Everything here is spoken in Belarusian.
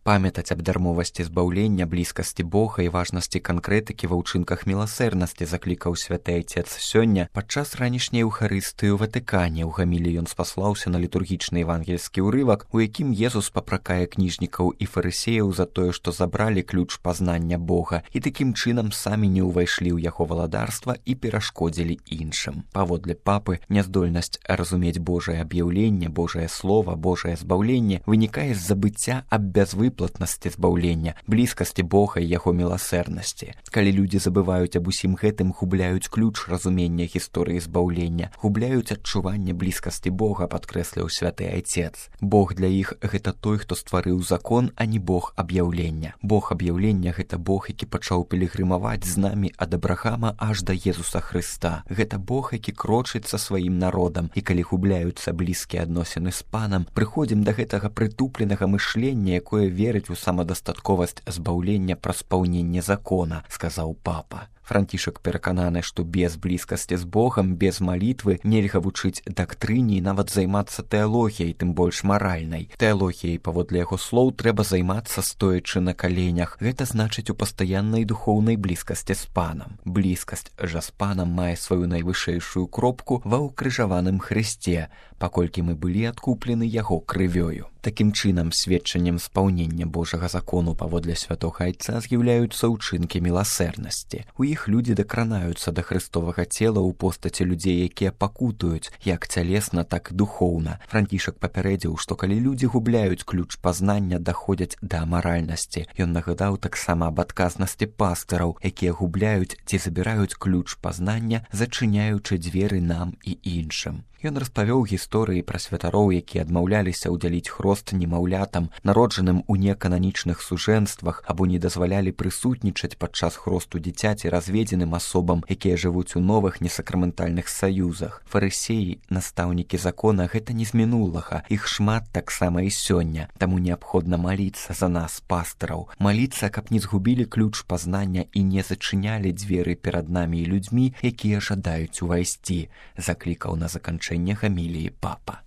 Памятаць аб дармовасці збаўлення, блізкасці Бога і важнасці канкрэтыкі ва ўчынках міласэрнасці заклікаў святы Айцец сёння падчас ранішняй Еўхарыстыі ў Ватыкане. У гаміліі ён спаслаўся на літургічны евангельскі ўрывак, у якім Езус папракае кніжнікаў і фарысеяў за тое, што забралі ключ пазнання Бога і такім чынам самі не ўвайшлі ў яго валадарства і перашкодзілі іншым. Паводле папы, няздольнасць разумець Божае аб'яўленне, Божае слова, Божае збаўленне вынікае з забыцця аб бязвыплатнасці збаўлення, блізкасці Бога і яго міласэрнасці. Калі людзі забываюць аб усім гэтым, губляюць ключ разумення гісторыі збаўлення, губляюць адчуванне блізкасці Бога, падкрэсліў святы Айцец. Бог для іх гэта той, хто стварыў закон, а не Бог аб'яўлення. Бог аб'яўлення гэта Бог, які пачаў пілігрымаваць з намі ад Абрахама аж да Езуса Хрыста. Гэта Бог, які крочыць са сваім народам, і калі губляюцца блізкія адносіны з Панам, прыходзім да гэтага прытупленага мышлення, якое верыць у самадастатковасць збаўлення праз спаўненне закона, сказаў папа. Францішак перакананы, што без блізкасці з Богам, без малітвы нельга вучыць дактрыне і нават займацца тэалогіяй, тым больш маральнай. Тэалогіяй, паводле яго слоў, трэба займацца стоячы на каленях. Гэта значыць у пастаяннай духоўнай блізкасці з Панам. Блізкасць жа з Панам мае сваю найвышэйшую кропку ва ўкрыжаваным Хрысце, паколькі мы былі адкуплены яго крывёю. Такім чынам, сведчаннем спаўнення Божага закону паводле святога Айца з'яўляюцца ўчынкі міласэрнасці. У іх людзі дакранаюцца да хрыстовага цела ў постаці людзей, якія пакутуюць, як цялесна, так і духоўна. Францішак папярэдзіў, што калі людзі губляюць ключ пазнання, даходзяць да амаральнасці. Ён нагадаў таксама аб адказнасці пастыраў, якія губляюць ці забіраюць ключ пазнання, зачыняючы дзверы нам і іншым. Ён распавёў гісторыі пра святароў, якія адмаўляліся ўдзяліць хрост немаўлятам, народжаным у некананічных сужэнствах, або не дазвалялі прысутнічаць падчас хросту дзіцяці разведзеным асобам, якія жывуць у новых несакраментальных саюзах. Фарысеі, настаўнікі закона, гэта не з мінулага, іх шмат таксама і сёння. Таму неабходна маліцца за нас, пастыраў, маліцца, каб не згубілі ключ пазнання і не зачынялі дзверы перад намі і людзьмі, якія жадаюць увайсці, заклікаў на заканчэнне гаміліі папа.